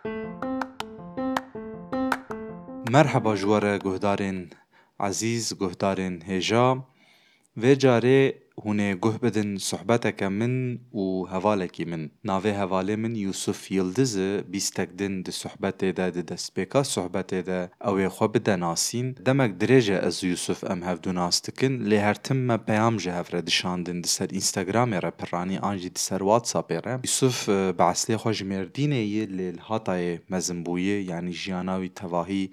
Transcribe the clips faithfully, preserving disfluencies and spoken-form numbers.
Merheba ji we re guhdarên ezîz, guhdarên hêja. Vê carê hûn ê guh bidin sohbeteke min û hevalekî min. Navê hevalê min Yusuf Yildiz e, bîstek din di sohbetê de, di destpêka sohbetê de ew ê xwe bide nasîn. Demek dirêj e ez û Yusuf em hevdu nas dikin, lê her tim me peyam ji hev re dişandin di ser Instagramê re piranî an jî di ser WhatsAppê re. Yusuf, e, bi eslê xwe ji Mêrdînê ye, lê li Hatayê mezin bûye, yanî jiyana wî tevahî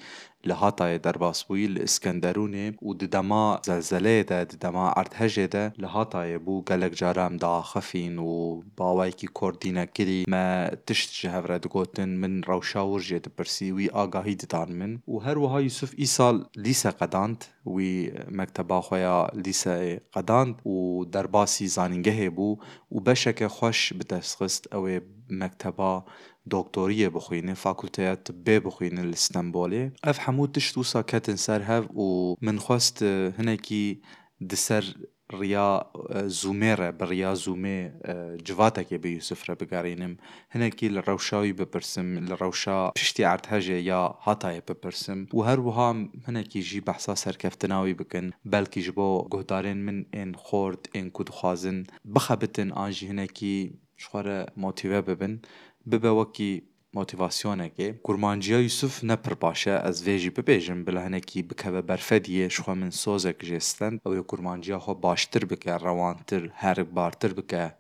li Hatayê derbas bûyî, li Iskenderûnê û di dema zelzeleyê de, di dema erdhejê de li Hatayê bû. Gelek cara em diaxifîn û bi awayekî kordînekirî me tişt ji hev re digotin, min rewşa wir jê dipirsî, wî agahî didan min. Û her wiha Yusuf îsal lîse qedand, wî mekteba xwe ya lîseyê qedand û derbasî zanîngehê bû û beşeke xweş bi dest xist, ew ê mekteba doktoriyê bixwîne, fakulteya tibbê bixwîne li Stenbolê. Ev hemû tişt wisa ketin ser hev û min xwest, e, hinekî di ser riya, e, Zoomê re, bi riya Zoomê, e, civatekê bi Yusuf re bigerînim. Hinekî li rewşa wî bipirsim, li rewşa piştî erdhejê ya Hatayê bipirsim û her wiha hinekî jî behsa serkeftina wî bikin. Belkî ji bo guhdarên min ên xort, ên ku dixwazin bixebitin an jî hinekî ji xwe re motîve bibin, bibe wekî motîvasyonekê. Kurmanciya Yusuf ne pir baş e, ez vê jî bibêjim, bila hinekî bikeve berfediyê, ji xwe min sozek jê stend. Ew ê kurmanciya xwe baştir bike, rewantir, herikbartir bike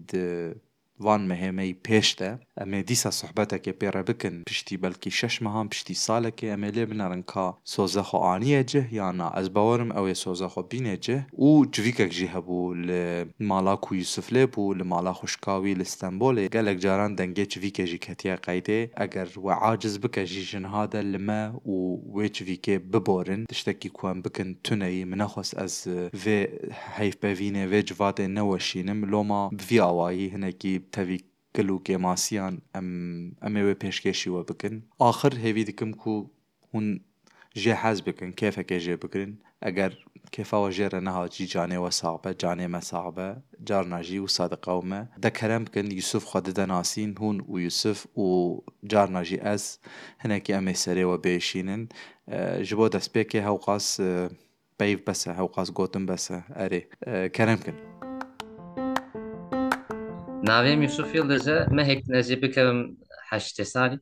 di van mehê me yî pêş de. Em ê dîsa sohbetekê pê re bikin, piştî belkî şeş mehan, piştî salekê em ê lê binerin ka soze xwe aniye cih yan na. Ez bawerim ew ê soze xwe bîne cih û çivîkek jî hebû li mala ku Yusuf lê bû, li mala xwişka wî li Stenbolê. Gelek caran dengê çivîkê jî ketiye qeydê. Eger we aciz bike jî ji niha de li me û wê çivîkê biborin. Tiştekî ku em bikin tune yî. Min nexwest ez vê heyvpevînê, vê civatê neweşînim. Loma bi vî awayî hinekî tevî gil û kêmasiyan em, em ê wê pêşkêşî we bikin. Axir hêvî dikim ku hûn jê hez bikin, kêfekê jê bigirin. Eger kêfa we jê re nehat jî canê we sax be, canê me sax be, carna jî wisa diqewime. De kerem bikin, Yusuf xwe dide nasîn, hûn û Yusuf û carna jî ez hinekî em ê serê we biêşînin. E, ji bo destpêkê hewqas, e, peyv bes e, hewqas gotin bes e. Erê, e, kerem kin. Navê min Yusuf Yildiz e, mehek din ez ê bikevim heştê salî.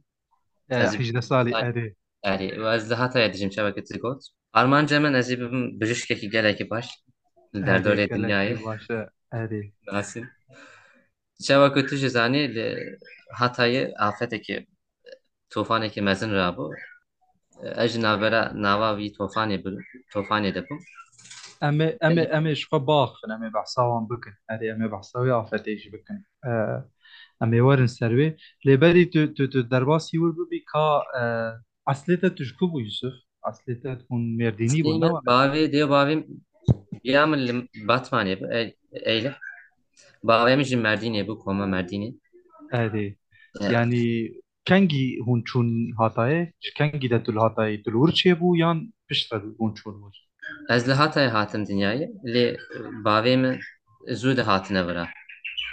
E, Ez ê hejdeh salî, salî. Erê. Erê, û ez li Hatayê dijim, çawa ke tu got. Armanca min ez ê bibim bijîşkekî gelekî baş li Erê, derdorê gelekî dinyayê. Baş e, erê. Nasîn. Çawa ku tu jî zanî, li Hatayê afetekî, tofanekî mezin rabû. Ez ji navbera nava vî tofanê bi, tofanê de bûm. Em ê, em ê, em ê ji xwe biaxifin, em ê behsa wan bikin. Erê, em ê behsa wê afetê jî bikin. E, em ê werin ser wê. Lê berî tu, tu, tu derbasî wir bibî ka, e, eslê te tu ji ku bû Yusuf? Eslê te hûn Mêrdînî bûn, ne were? Bavê, dê bavê ya min li Batmanê bû, Ey-, Eyleh. Bavê min jî Mêrdînê bû, koma Mêrdînê. Erê. Evet. Yanî kengî hûn çûn Hatayê? Ji kengî de tu li Hatayê, tu li wir çêbû yan piştre hûn çûn wir? Ez li Hatayê hatim dinyayê, lê bavê min zû de hatine vira.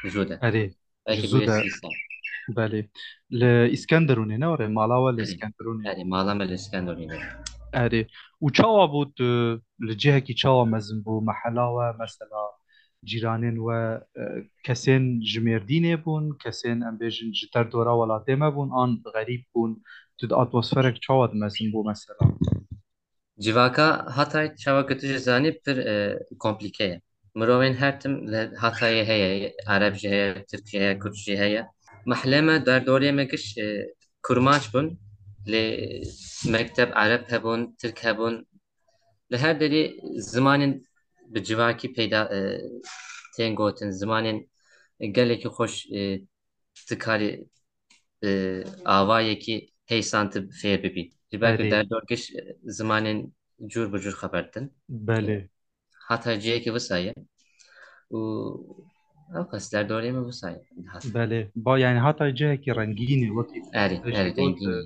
Zû de. Erê. Belkî ji zû bûye de. Sî sal. Belê. Li Îskenderûnê ne were? Mala we li Erê. Îskenderûnê. Erê, mala me li Îskenderûnê. Erê. Û çawa bû tu li cihekî çawa mezin bû? Mehela we, mesela, cîranên we, e, kesên ji Mêrdînê bûn, kesên, em bêjin, ji derdora welatê me bûn, an xerîb bûn? Tu di atmosferek çawa de mezin bû, mesela? Civaka Hatay, çawa ku tu jî zanî, pir, e, komplîke ye. Mirovên her tim li Hatayê heye, Ereb jî heye, Tirk jî heye, Kurd jî heye. Mehlê me, derdorê me giş, e, Kurmanc bûn, lê mekteb Ereb hebûn, Tirk hebûn. Li her derê zimanên bi civakî peyda, e, tên gotin, zimanên gelekî xweş, e, tu karî, e, avayekî heysan tu fêr bibî. Ji ber ku Erê. Derdorgiş, e, zimanên cûr bi cûr xeber din. Belê. Hata cihekî wisa ye. Û ew qas derdorê min wisa ye. Hat. Belê. Ba, yani hata cihekî rengîn e, wekî Erê, tu jî erê, got, rengîn e.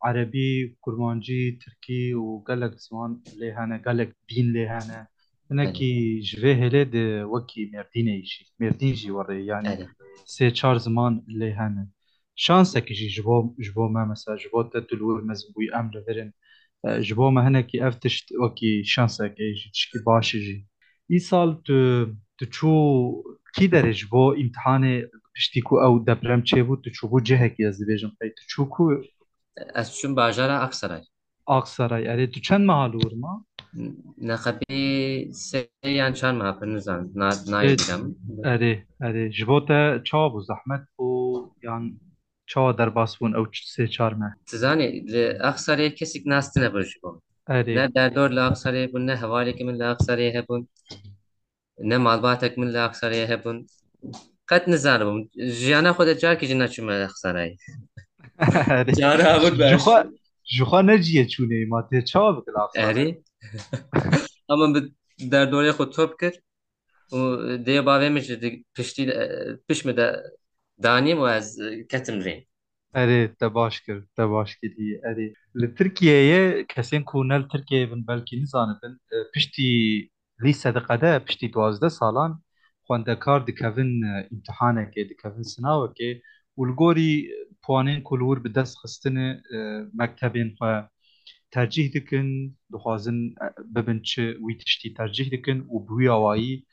Erebî, kurmancî, tirkî û gelek ziman lê hene, gelek dîn lê hene. Hinekî Erê. Ji vê hêlê de wekî Mêrdînê jî. Mêrdîn jî werê, yani Erê. Sê çar ziman lê hene. şansekî jî ji bo, ji bo me, mesela ji bo te tu li wir mezin bûyî, em li vir in. E, ji bo me hinekî ev tişt wekî şansekê jî tişkî baş e jî. Îsal tu, tu çû kî derê ji bo îmtihanê piştî ku ew deprem çêbû, tu çûbû cihekî, ez dibêjim qey tu çû ku? Ez çûm bajara Aksaray. Aksaray, erê, tu çend meha li wir ma? Neqebî sê yan çar meha, pir nizanim, na-, nayê bîra min. Erê, erê, ji bo te çawa bû, zehmet bû yan çawa derbas bûn ew sê çar meh? Tu zanî, li Aksarayê kesîk nas tine bû ji bo min. Erê. Ne derdor li Aksarayê bûn, ne hevalêkî min li Aksarayê hebûn, ne malbatek min li Aksarayê hebûn. Qet nizanibûm. Jiyana xwe de carkî jî neçûme Aksarayê. Erê. Cara hebûn. Ji xwe, ji xwe ne ciyê çûnê, ma tê çawa bikir Aksaray? Erê. Ama bi derdorê xwe top kir. Û dê bavê min jî di piştî, e, pişt min de danîm û ez, e, ketim rê. Erê, te baş kir, te baş kirî. Erê. Li Tirkiyeyê kesên ku ne li Tirkiyeyê bin belkî nizanibin, e, piştî lîse diqede, piştî duwazdeh salan xwendekar dikevin, e, îmtihanekê, dikevin sinawekê û li gorî puanên ku li wir bi dest xistine, e, mektebên xwe tercîh dikin, dixwazin, e, bibin çi, wî tiştî tercîh dikin û bi wî awayî,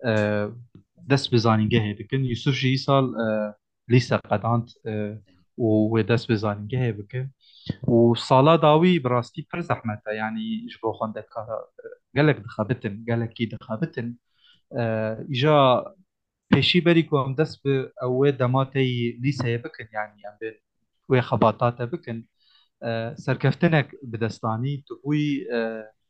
e, dest bi zanîngehê dikin. Yusuf jî îsal, e, lîse qedand, e, û wê dest bi zanîngehê bike. Û sala dawî bi rastî pir zehmet e, yanî ji bo xwendekara, e, gelek dixebitin, gelekî dixebitin. E, îja pêşî berî ku em dest bi ew wê dema teyî lîseyê bikin, yanî em bên wê xebata te bikin, e, serkeftinek bi dest anî, tu bûyî, e,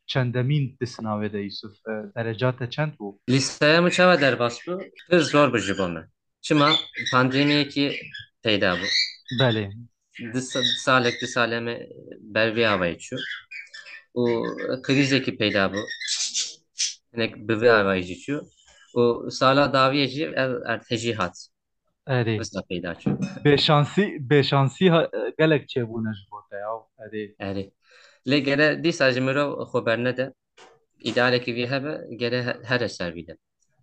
çendemîn di sinavê de, Yusuf? E, dereca te çend bû? Lîseya min çawa derbas bû? Pir zor bû ji bo me. Çima? Pandemiyekî peyda bû. Belê. Di sa-, salek, du salê me ber vê avayî çû. Û krîzekî peyda bû. Hinek bi vê avayî jî çû. Û sala dawiyê jî ev erdhejî hat. Erê. Wisa peyda çû. Bêşansî, bêşansî ha-, gelek çêbûne ji bo te ya. Erê. Erê. Lê gere dîsa jî mirov xwe bernede. Îdealekî vî hebe, gere he-, here ser vî de.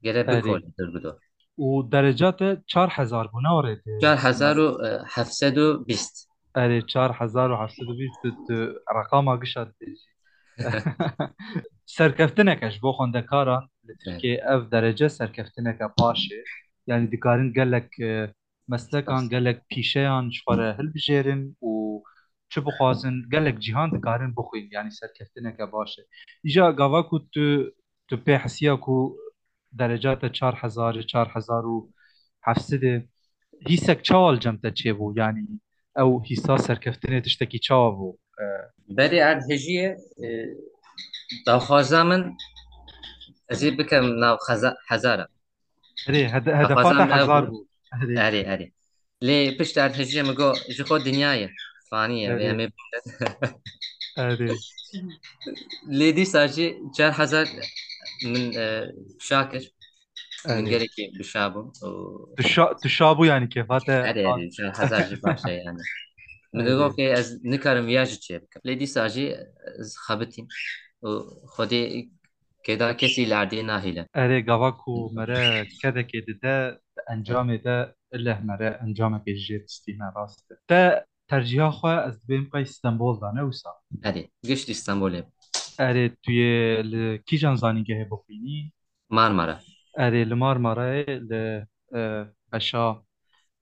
Gere Erê. Bikole dur bi dor. Û dereca te çar hezar bû, ne orê te? Çar hezar û heft sed û bîst. Erê, çar hezar û heft sed û bîst, tu, tu reqama gişa dibêjî. Serkeftineke ji bo xwendekaran li Tirkiyeyê, ev derece serkeftineke baş e. Yanî dikarin gelek, e, meslekan, gelek pîşeyan ji xwe re hilbijêrin û çi bixwazin, gelek cîhan dikarin bixwîn. Yanî serkeftineke baş e. Îja gava ku tu, tu pê hesiya ku dereca te çar hezar, çar hezar û heft sed e, hîsek çawa li cem te çêbû? Yanî ew hîsa serkeftinê tiştekî çawa bû? E, Berê erdhejiyê, e, daxwaza min ez ê bikim nav xeza-, hezara. Erê, hede-, hedefa te hezar bû. Erê. Erê, erê. Lê pişt erdhejiyê min got, ji xwe dinya ye. Fanî ye, vê Erê. Em ê bûne. Erê. Lê dîsa jî çar hezar min, e, şa kir. Min Erê. Gelekî bişa bûm. û Tu şa, tu şa bû yanî kêfa te Erê, hat. Erê, çar hezar jî baş e yani. Min Erê. Digot ki ez nikarim viya jî çê bikim. Lê dîsa jî ez xebitîm. Û Xwedê kêda kesî li erdê nahêle. Erê, gava ku mere kedekê dide, encamê de ileh mere encamekê ji jê distîne, rast e. Te tercîha xwe ez dibêm qey Stenbol da, ne wisa? Erê, giştî Stenbolê. Erê, tu yê li kîjan zanîngehê bixwînî? Marmara. Erê, li Marmarayê li, e, beşa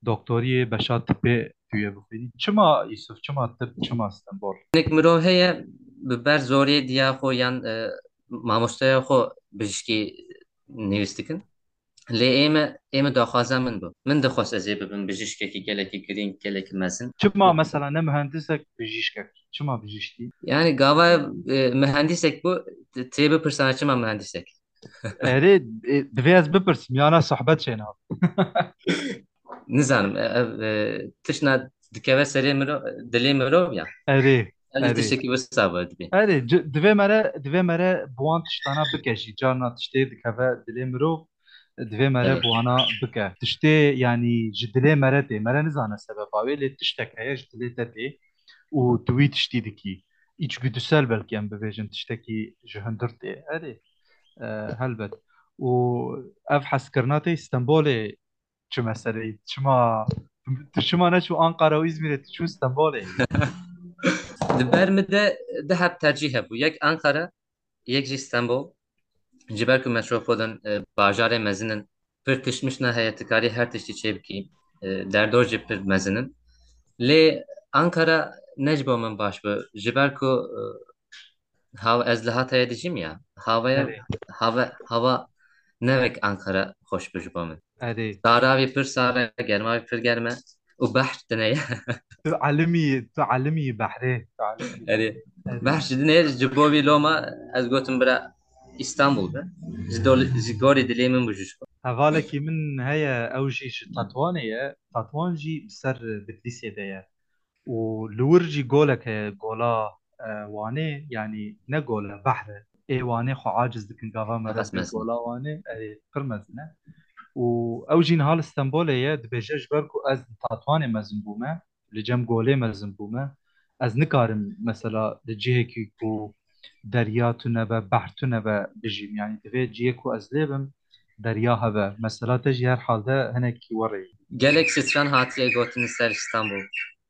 doktoriyê, beşa tibê tu yê bixwînî. Çima Yusuf, çima tib, çima Stenbol? Hinek mirov heye bi ber zorê diya xwe yan, e, mamosteya xwe bijîşkî nivîs dikin. Lê ê me, ê me daxwaza min bû. Min dixwest ez ê bibim bijîşkekî gelekî girîng, gelekî mezin. Çima mesela ne muhendisek, bijîşkek? Çima bijîşkî? Yani gava, e, muhendisek bû, t-, tê bipirsa çima muhendisek? Erê, e, divê ez bipirsim, yana sohbet çêna. Nizanim, e, ev, e, tiştna dikeve serê mirov, dilê mirov ya. Erê, Ev jî erê. Tiştekî wisa bû dibê. Erê, ci-, divê mere, divê mere bi wan tiştana bike jî. Carna tiştê dikeve dilê mirov, divê mere Erê. Bi wana bike. Tiştê, yanî ji dilê mere tê. Mere nizane sebeba wê, lê tiştek heye ji dilê te tê û tu wî tiştî dikî. Îçgüdüsel belkî em bibêjin, tiştekî ji hundir tê. Erê, e, helbet. Û ev hezkirina te Stenbolê çi meseleyî? Çima Tu çima neçû Ankara û Îzmîrê, tu çû Stenbolê? Di ber min de du heb tercîh hebû. Yek Ankara, yek jî Stenbol. Ji ber ku metropol in, e, bajarê mezin in, pir tişt mişna heye, tu karî her tiştî çê bikî. E, derdor jî pir mezin in. Lê Ankara ne ji bo min baş bû. Ji ber ku, e, hav-, ez li Hatayê dijîm ya. Havaya, Erê. hava, hava ne wek Ankara xweş bû ji bo min. Erê. Sara wî pir sar e, germa wî pir germ e. Û behr tune ye. Tu elimî, tu elimî behrê. Tu elimî Erê. Erê. Behr ji dinê ji bo vî loma ez gotim bira Îstanbul be. Ji dol-, ji gorî dilê min bû ji xwe. Hevalekî min heye, ew jî ji Tetwanê ye. Tetwan jî bi ser Bitlîsê de ye. Û li wir jî golek heye, gola, e, Wanê, yanî ne gol e, behr e. Ê Wanê xwe aciz dikin, gava me Qas re bê mezin. Gola Wanê, erê, pir mezin e. Û ew jî niha li Stenbolê ye, dibêje, ji ber ku ez li Tatwanê mezin bûme, li cem golê mezin bûme, ez nikarim mesela li cihekî ku derya tune be, behr tune be bijîm. Yanî divê cihê ku ez lê bim, derya hebe. Mesela te jî her halde hinekî werê. Gelek stran hatiye gotin ser Îstanbul.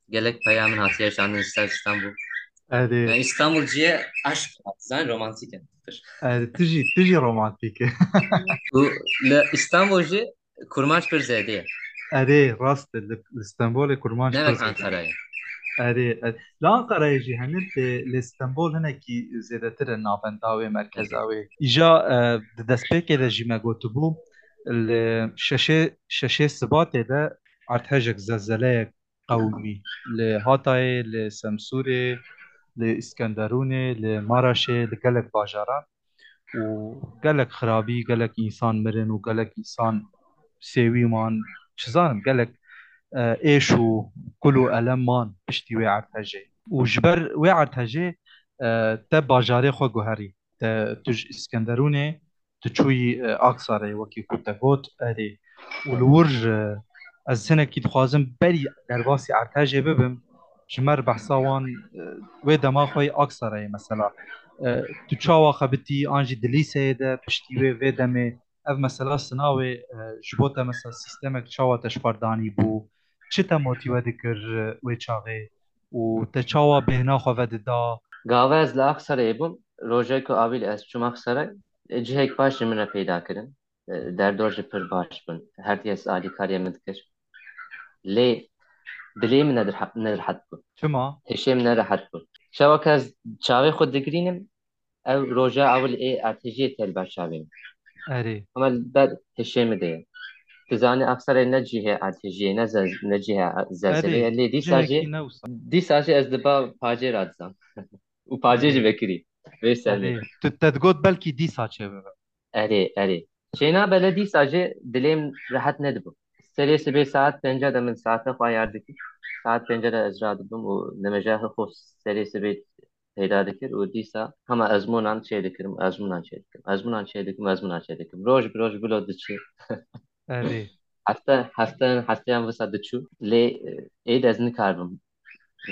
Gelek peya min hatiye şandin ser Îstanbul. Erê. Yani Îstanbul ciye aşk, zaten romantîk e. Erê, tu jî, tu jî romantîk e. Û li Îstanbul jî kurmanc pir zêde ye. Erê, rast e. Li, li Stenbolê kurmanc Ne pir wek zêde ye. Ankarayê. Erê, erê. Li Ankarayê jî hene, lê, lê Stenbol hinekî zêdetir e navenda wê, merkeza wê. Îja, e, di destpêkê de jî me gotibû, li şeşê, şeşê Sibatê de erdhejek, zelzeleyek qewimî. Li Hatayê, li Semsûrê, li Îskenderûnê, li Maraşê, li gelek bajaran û gelek xirabî, gelek însan mirin û gelek însan sêwî man, çi zanim, gelek, e, êş û kul û elem man piştî wê erdhejê. Û ji ber wê erdhejê, e, te bajarê xwe guherî. Te, tu ji Îskenderûnê, tu çûyî, e, Aksarayê, wekî ku te got, erê. Û li wir, e, ez hinekî dixwazim berî derbasî erdhejê bibim, ji me re behsa wan, e, wê dema xwe yê Aksarayê mesela. E, tu çawa xebitî, an jî di lîseyê de piştî wê, vê demê, ev mesela sinawê, e, ji bo te mesela sîstemek çawa te ji xwe re danî bû, çi te motîve dikir, e, wê çaxê û te çawa bêhna xwe vedida? Gava ez li Aksarayê bûm, rojek ku avî li ez çûm Aksaray, e, cihek baş ji min re peyda kirin. E, derdor jî pir baş bûn. Her kes alîkariyê min dikir. Lê dilê min ne dirha-, ne rehet bû. Çima? Hişê min ne rehet bû. Çawa ku ez çavê xwe digirînim, ew roja ewil ê erdhejiyê tê li ber çavê min. Erê. Ama li ber hişê min de ye. Tu zanî Aksarayê ne cihê erdhejiyê, ne ze-, ne cihê zelzelê ye. Erê, lê dîsa jî, cihekî ne wisa. Dîsa jî ez li ba pacê re dizam. Û pacê jî Erê. Vekirî. Vê ser Erê. Tu te digot belkî dîsa çêbibe. Erê, erê. Çênabe lê dîsa jî dilê min rehet nedibû. Serê sibê saet pênca de min saete xwe ayar dikir. Saet pênca de ez radibim û nimêja xwe serê sibê peyda dikir û dîsa hema ezmûnan çê dikirim, ezmûnan çê dikirim, ezmûnan çê dikim, ezmûnan çê dikim. Roj bi roj bilo diçû. Erê. Hefte, hefte, hefteyan wisa diçû. Lê, e, êdî ez nikaribim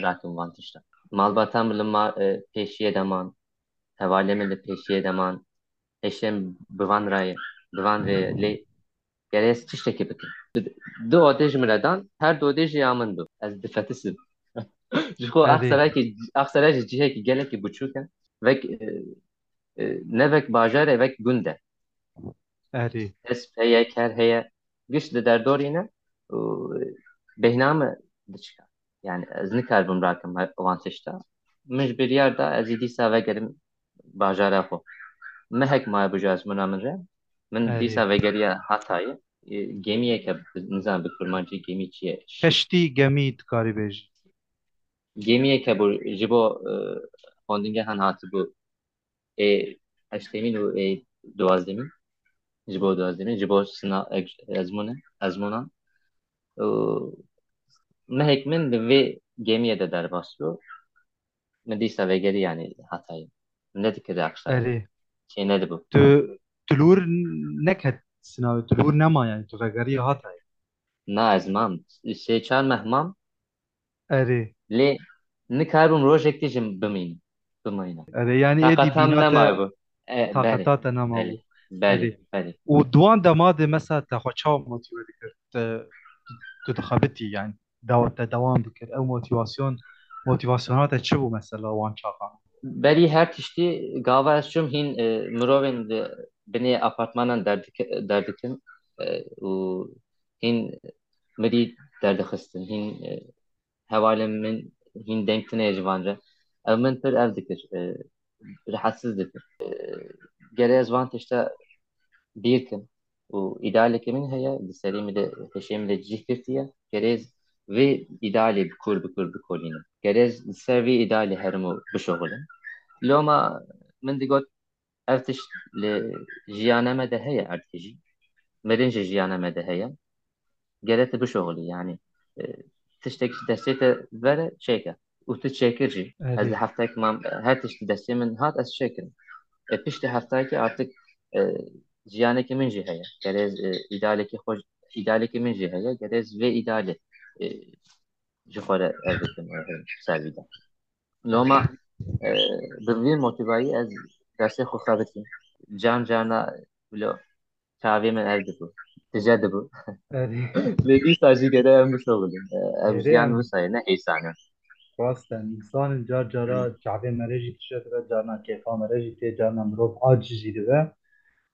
rakim van tişta. Malbata min li ma-, e, pêşiyê de man. Hevalê min li pêşiyê de man. Hişê min bi van rayê, bi van rê lê gerê ez tiştekî bikim. Du odê ji min re dan, her du odê jî ya min bû. Ez difetisibim. Ji xwe Erê. Aksaray ki, Aksaray jî cihekî gelekî biçûk e. Vek, e, e, ne vek bajar e, vek gund e. Erê. Kesp heye, ker heye. Giş di derdorî ne û, e, bêhna me diçika. Yani ez nikaribim rakim he-, wan tişta. Min ji biryar da ez ê dîsa vegerim bajara xwe. Mehek maye bû ji ezmûna min re. Min Erê. Dîsa vegeriya Hatayê. E, gemiyeke bi, nizam bi kurmancî gemî çi ye? Keştî, gemî dikarî bêjî. Gemiyeke bû ji bo, e, xwendingehan hatibû. Ê heştemîn û ê duwazdemîn, ji bo duwazdemîn, ji bo sina-, ezmûne-, ezmûnan. Û mehek min li vê gemiyê de derbas bû. Min dîsa vegerî, yanî Hatayê. Nedikir Akşarê. Erê. Çê nedibû. Tu, tu li wir neket sinavê, tu li wir nema, yanî tu vegerî Hatayê. Na, ez mam. Sê çar meh mam. Erê. Lê nikaribûm rojek tê jî bimînim. Bimînim. Erê, yanî êdî Taqeta min bîna te, nemayebû. E, taqeta belê. Te nemabû. Belê, belê, Erê. Belê. Û di wan dema de mesela te xwe çawa motive dikir? Te, tu dixebitî, yani dawa te dewam dikir. Ew motivasyon, motivasyona te çi bû mesela wan çaxan? Berî her tiştî gava ez çûm hîn, e, mirovên di binê apartmanan derdike-, derdikin, e, û hîn mirî derdixistin, hîn, e, hevalên min hîn deng tune ji van re. Ev min pir ev dikir, e, rehetsiz dikir. E, gere ez van tişta bîr kim û îdealeke min heye, di serê min de, hişê min de cih girtiye. Gere ez vê îdealê bi kûr bi kûr bikolînim. Gere ez li ser vê îdealê herim û bişuxilim. Loma min digot, ev tişt li jiyana me de heye erdhejî. Mirin ji jiyana me de heye. Gere tu bişuxulî, yani, e, tiştek ji destê te vere çêke. Û tu çêkir jî. Ez Erê. Di heftayek mam, her tişt di destê min hat, ez çêkirim. E, piştî heftayekê artık, e, jiyanekî min jî heye. Gere ez, e, îdealekî xwe, îdealekî min jî heye. Gere ez vê îdealê, e, ji xwe re ev bikim, e, ser vî de. Loma, e, bi vî motivayî ez dersê xwe xebitîm. Can carna bilo çavê min ev dibû, tije dibû. Erê. Lê dîsa jî gere em bişuxulin. E, ev Erê jiyan em. Wisa ye, ne hêsan e. Rast e, însan in car cara çavê me re jî tije dibe, carna kêfa me re jî tê, carna mirov aciz jî dibe.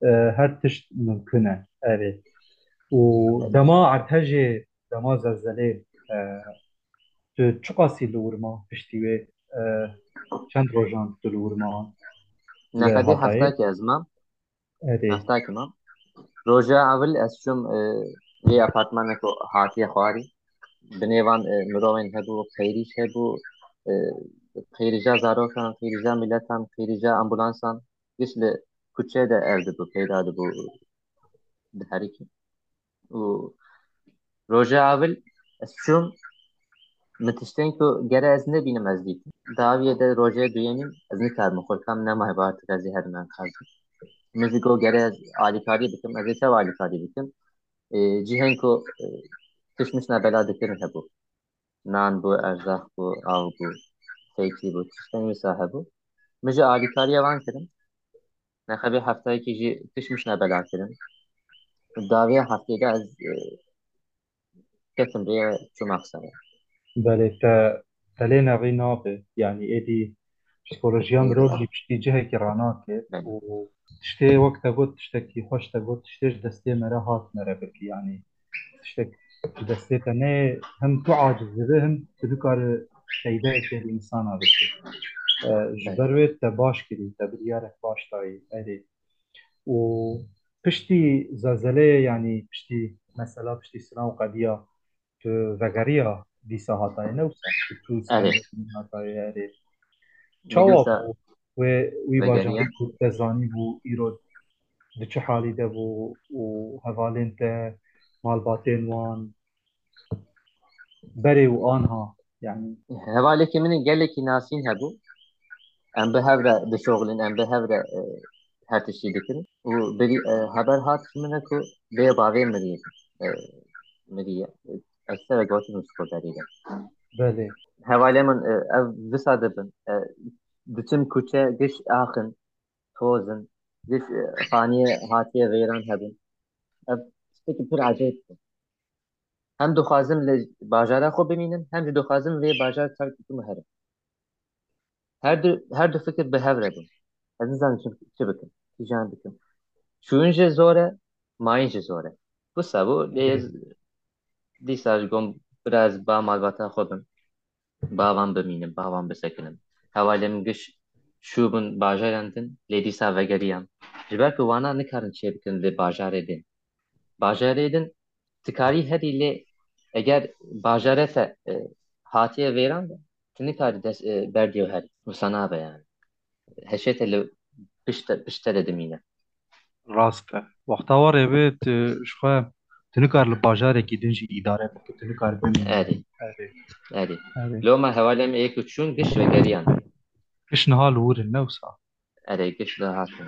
E, her tişt mimkun e. Erê. Û dema erdhejê, dema zelzelê, e, tu çiqasî li wir ma piştî wê, e, çend rojan tu li wir ma? Neqedê Hatayê? Heftakê ez mam. Erê. Heftakê mam. Roja ewil ez çûm, e, vê apartmanê ku hatiye xwarî. Binêvan, e, mirovên hebû, qeyrîş hebû, e, qeyrîja zarokan, qeyrîja miletan, qeyrîja ambulansan. Giş li kuçe de ev dibû, peyda dibû, diherikî. Û roja ewil ez çûm, min tiştên ku gere ez nebînim ez dîtim. Dawiyê de rojê duyemîn ez nikarim xwe kam nemaye, ba artık ez ê herim enqazê. Min jî got gere ez alîkarî bikim, ez ê çawa alîkarî bikim? E, cihên ku, e, tişt mişna bela dikirin hebû. Nan bû, erzaq bû, av bû, fêkî bû, tiştên wisa hebû. Min jî alîkariya wan kirin. Neqebê heftayekî jî tişt mişna bela kirin. Dawiya heftê de ez, e, ketim rê, çûm Aqsayê. Belê, te, te lê nerî nabe. Yanî êdî psîkolojiya mirov jî piştî cihekî ranake. Belê. Û tiştê wek te got, tiştekî xweş te got, tiştê ji destê me re hat me re bikî. Yanî tiştek ji destê te neyê, hem tu aciz dibe, hem tu nikare peydayekê li însana bike. E, ji Belê. Ber wê te baş kirî, te biryarek baş dayî. Erê. Û piştî zelzeleyê, yanî piştî mesela, piştî sina û qediya, tu vegeriya dîsa Hatayê, ne wisa? Tu, tu Erê. Hatayê, erê. Çawa bû wê, wî bajarî ku te zanî bû, îro di çi halî de bû û hevalên te, malbatên wan, berê û anha, yanî? Hevalekî min ê gelekî nasîn hebû. Em bi hev re dişoxilin, em bi hev re, e, her tiştî dikirin. Û birî, e, heber hat ji min re ku bê bavê mirî, e, miriye. Ez te re gotin û skoderî de. Belê. Hevalê min, e, ev visa dibin. E, diçin kuçe, giş axin, tozin, giş, e, xaniyê hatiye veyran hebin. Ev tiştekî pir ecêb bû. Hem dixwazim li bajara xwe bimînim, hem jî dixwazim vê bajar terk bikim û herim. Her du, her du fikir bi hev re bûn. Ez nizanim çi, çi bikim, kîjan bikim. Çûyîn jî zor e, mayîn jî zor e. Wisa bû, lê ez dîsa ji gom biraz ba malbata xwe bim. Ba van bimînim, ba van bisekinim. Hevalê min giş çûbûn bajaran din, lê dîsa vegeriyan. Ji ber ku wana nikarin çêbikin li bajarê din. Bajarê din tu karî herî, lê eger bajare te, e, hatiye vêran be, tu nikarî dest, e, berdî û herî. Wisa nabe yani. Hişê te li pişt, pişt te de dimîne. Rast e. Wexta warê bê tu ji xwe, tu nikar li bajarekî din jî îdare bike, tu nikar bimînî. Erê. Erê. Erê. Erê. Loma hevalê me yek û çûn giş vegeriyan. Giş niha li wir in, ne wisa? Erê, giş li hatin.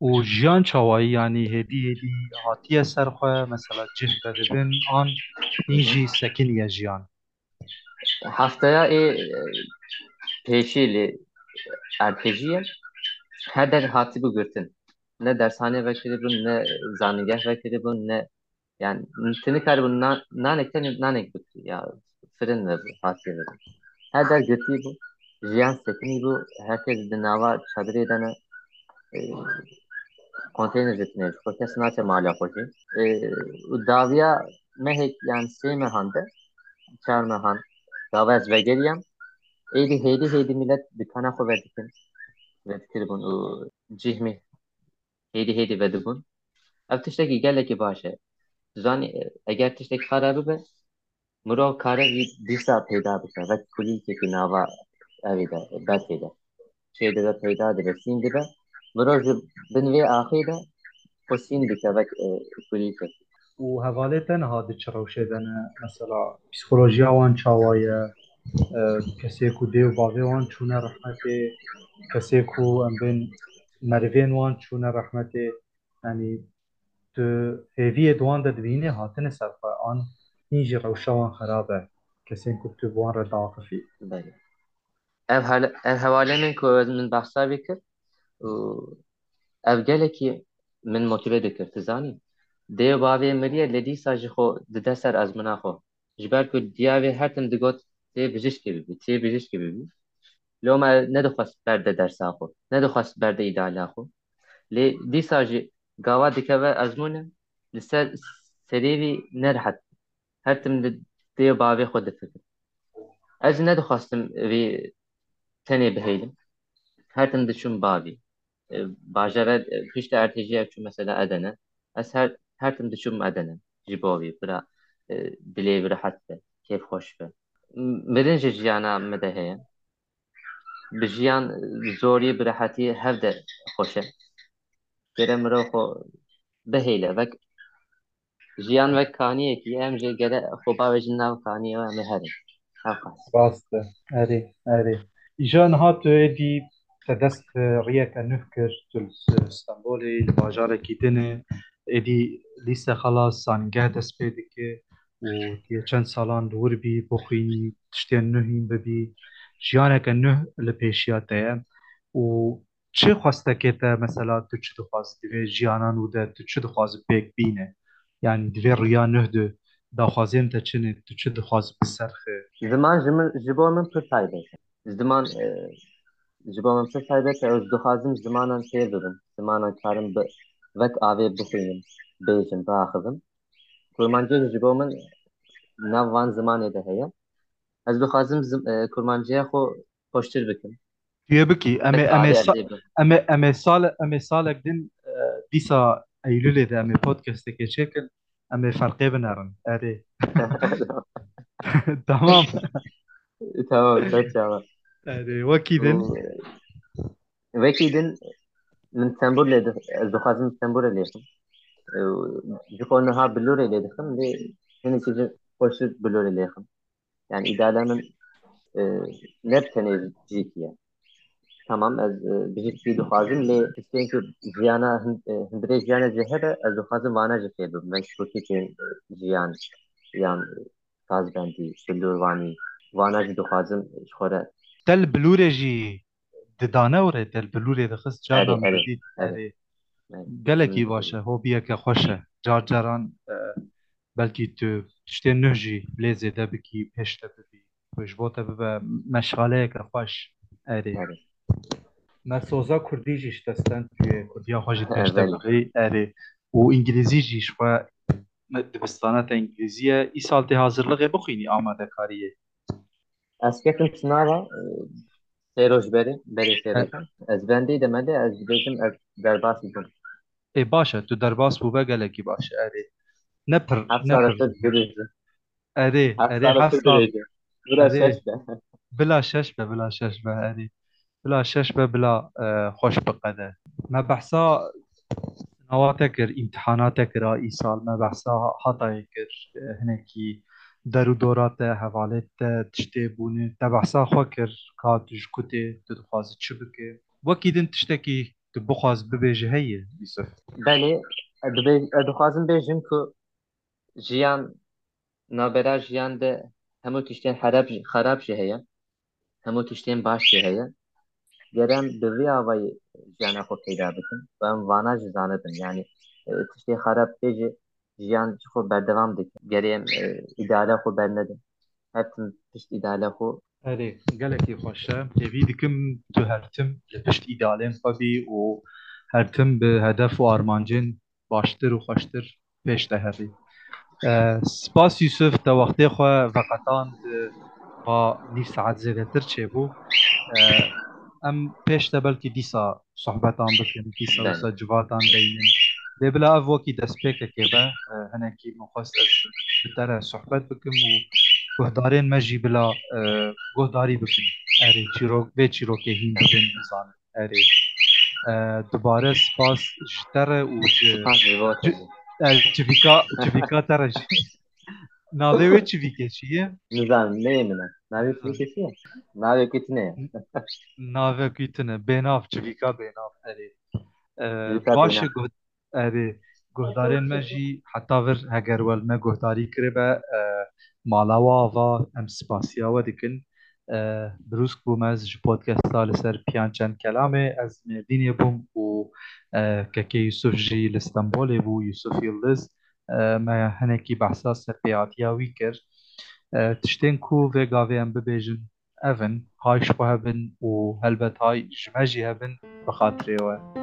Û jiyan çawayî, yanî hêdî hêdî hatiye ser xwe, mesela cih vedibin, an hîn jî sekiniye jiyan? Hefteya ê, e, pêşî li erdhejî ye. Her der hatibû girtin. Ne dershane vekiribûn, ne zanîngeh vekiribûn, ne Yani tu nikaribû na-, nanek tenê nanek bikirî ya firin ve hatiyê ve. Her der girtî bû, jiyan sekinî bû, herkes di nava çadirê de ne, e, konteyner jî tune ji xwe, kes naçe mala xwe jî. E, û dawiya mehek yan sê mehan de, çar mehan, gava ez vegeriyam, êdî hêdî hêdî milet dikana xwe vedikin, vedikiribûn û cihmî hêdî hêdî vedibûn. Ev tiştekî gelekî baş e. Tu zanî, eger tiştek xera bibe, mirov kare vî dîsa peyda bike. Vek kulîlkekî nava evê de, berfê de. Çê dibe peyda dibe, sîn dibe. Mirov ji bin vê axê de xwe sîn dike vek, e, kulîlkekî. Û hevalê te niha di çi rewşê de ne? Mesela psîkolojiya wan çawa ye? E, kesê ku dê û bavê wan çûne rehmetê, kesê ku em bên merivên wan çûne rehmetê, yanî tu hêviyê di wan de dibînî hatine ser xwe an hîn jî rewşa wan xerab e, kesên ku tu bi wan re diaqifî? Belê. Ev hal-, ev hevalê min ku ez min behsa vê kir û ev gelekî min motive dikir, tu zanî. Dê û bavê miriye lê dîsa ji xwe dide ser ezmûna xwe. Ji ber ku diya wê her tim digot, "Tê bijîşkê bibî, tê bijîşkê bibî." Loma nedixwest berde dersa xwe, nedixwest berde îdeala xwe. Lê dîsa jî gava dikeve ezmûne, li ser serê wî nerehet. Her tim di dê û bavê xwe difikir. Ez jî nedixwestim vî tenê bihêlim. Her tim diçûm bavî. E, bajara, e, piştî erdhêjiya çû mesela Edene. Ez her, her tim diçûm Edene. Ji bo vî bira, e, dilê wî rehet be, kêfxweş be. M-, mirin ji jiyana me de heye. Bi jiyan, e, zorî, bi rehetî hev de xweş e. Gere mirov xwe bihêle, vek jiyan wek kaniyekî, em jî gere xwe bavêjin nav kaniyê û em ê herin. Ew qas. Rast e. Erê, erê. Îja niha tu êdî te dest bi riyeke nuh kir, tu li Stenbolê, li bajarekî din e, êdî lîse xelas, zanîngeh dest pê dike û tu yê çend salan li wir bî, bixwînî, tiştên nuh hîn bibî, jiyaneke nuh li pêşiya te ye û çi xwestekê te, mesela, tu çi dixwazî di vê jiyana nû de, tu çi dixwazî pêk bîne? Yanî di vê riya nuh de daxwazên te çi ne, tu çi dixwazî bi ser xê? Ziman ji min, ji bo min pir taybet e. Ziman, e, ji bo min pir taybet e. Ez dixwazim zimanan fêr bibim. Zimanan karim bi vek avê bixwînim, bêjim, biaxivim. Kurmancî ji bo min nav van zimanê de heye. Ez dixwazim zim-, e, kurmanciya xwe xweştir bikim. Tu yê bikî. Em ê, Bi em ê tarê sa-, erdê bi. em ê, em ê sal-, em ê salek din, e, dîsa Eylûlê de em ê podcastekê çêkin. Em ê ferqê binerin. Erê. Tamam. Tamam, pek çawa. Erê, wekî din. Û, wekî din min Stenbolê di-, ez dixwazim Stenbolê lêxim. Û ji xwe niha Bilorê lê dixim, lê hinekî jî xweştir Bilorê lêxim. Yani îdeala min, e, ne bi tenê cihekî ye. Tamam, ez, e, bijîşkî dixwazim, lê tiştên ku jiyana hin-, e, hundirê jiyana jê hebe, ez dixwazim vana jî fêr bibim. Wek kurtikên, e, jiyan, yan, e, sazbendî, bilûrvanî, vana jî dixwazim ji xwe re. Te li bilûrê jî didane û rê te li bilûrê dixist, carna Erê, min erê, didît, erê. Erê. Gelekî Hmm. baş e, hobiyeke xweş e. Car caran, e, belkî tu tiştên nuh jî lê zêde bikî, pêş te bibî. Ku ji bo te bibe meşxaleyeke xweş. Erê. Erê. Me soza kurdî jî ji te stend, tu yê kurdiya xwe jî pêş te Erê. bibî. Erê. Û îngilîzî jî ji xwe me dibistana te îngilîzî ye. Îsal tê hazirliğê bixwînî amadekariyê. Ez ketim sinava, e, sê roj berê, berê sê E- rojan. Ez bendê de me de, ez dibêjim, ez derbas bûm. Ê, baş e, tu derbas bûbe gelekî baş e, erê. Ne pir, Heft ne sala pir. tu dirêjî. Erê, Heft erê, sala heft tu sal. dirêjî. Bira Erê. şeş be. Bila şeş be, bila şeş be, erê. Bila şeş be, bila, e, xweş biqede. Me behsa sinava te kir, îmtihana te kir a îsal, me behsa hatayê kir, e, hinekî der û dora te, hevalê te, tiştê bûne, te behsa xwe kir, ka tu ji ku tê, tu dixwazî çi bike. Wekî din tiştekî tu bixwaz bibêjî heye, Yusuf? Belê, ez dibê-, ez dixwazim bêjim ku jiyan, navbera jiyan de hemû tiştên herab jî, xerab jî heye, hemû tiştên baş jî heye. Ger em bi vî avayî jiyana xwe peyda bikin û em vana jî zanibin. Yanî, e, tiştê xerab tê jî jiyan ji xwe berdewam dikin. Gerê em, e, îdeala xwe bernedin. Her tim pişt îdeala xwe. Erê, gelekî xweş e. Hêvî dikim tu her tim li pişt îdealên xwe bî û her tim bi hedef û armancên baştir û xweştir pêş de hebî. E, spas Yusuf, te wextê xwe veqetand, e, va nîv saet zêdetir çêbû. E, em pêş de belkî dîsa sohbetan bikin, dîsa Belê. wisa civatan deynin. Lê bila ev wekî destpêkekê be, e, hinekî min xwest ez bi te re sohbet bikim û guhdarên me jî bila, e, guhdarî bikin. Erê, çîrok, vê çîrokê hîn bibin, bizanin. Erê. E, dubare spas ji te re û ji Spas ji bo te ci-, jî. e, çivîka, çivîka te re jî. Navê wê çivîkê çi ye? Nizanim, neyê min e. Navê Nizanim. çivîkê çi ye? Navê wê tune ye. Navê wê tune. Bênav, çivîka bênav. Erê. E, Çivîka baş e bênav. guh-, erê. Guhdarên me jî heta vir heger we li me guhdarî kiribe, e, mala we ava, em spasiya we dikin. E, birûsk bûm ez ji podcasta li ser Piyan Çend Kelamê. Ez Mêrdînê bûm û, e, kekê Yusuf jî li Stenbolê bû, Yusuf Yildiz. E, me hinekî behsa serpêhatiya wî kir. E, tiştên ku vê gavê em bibêjin ev in, hay ji xwe hebin û helbet hay ji me jî hebin bi xatirê we.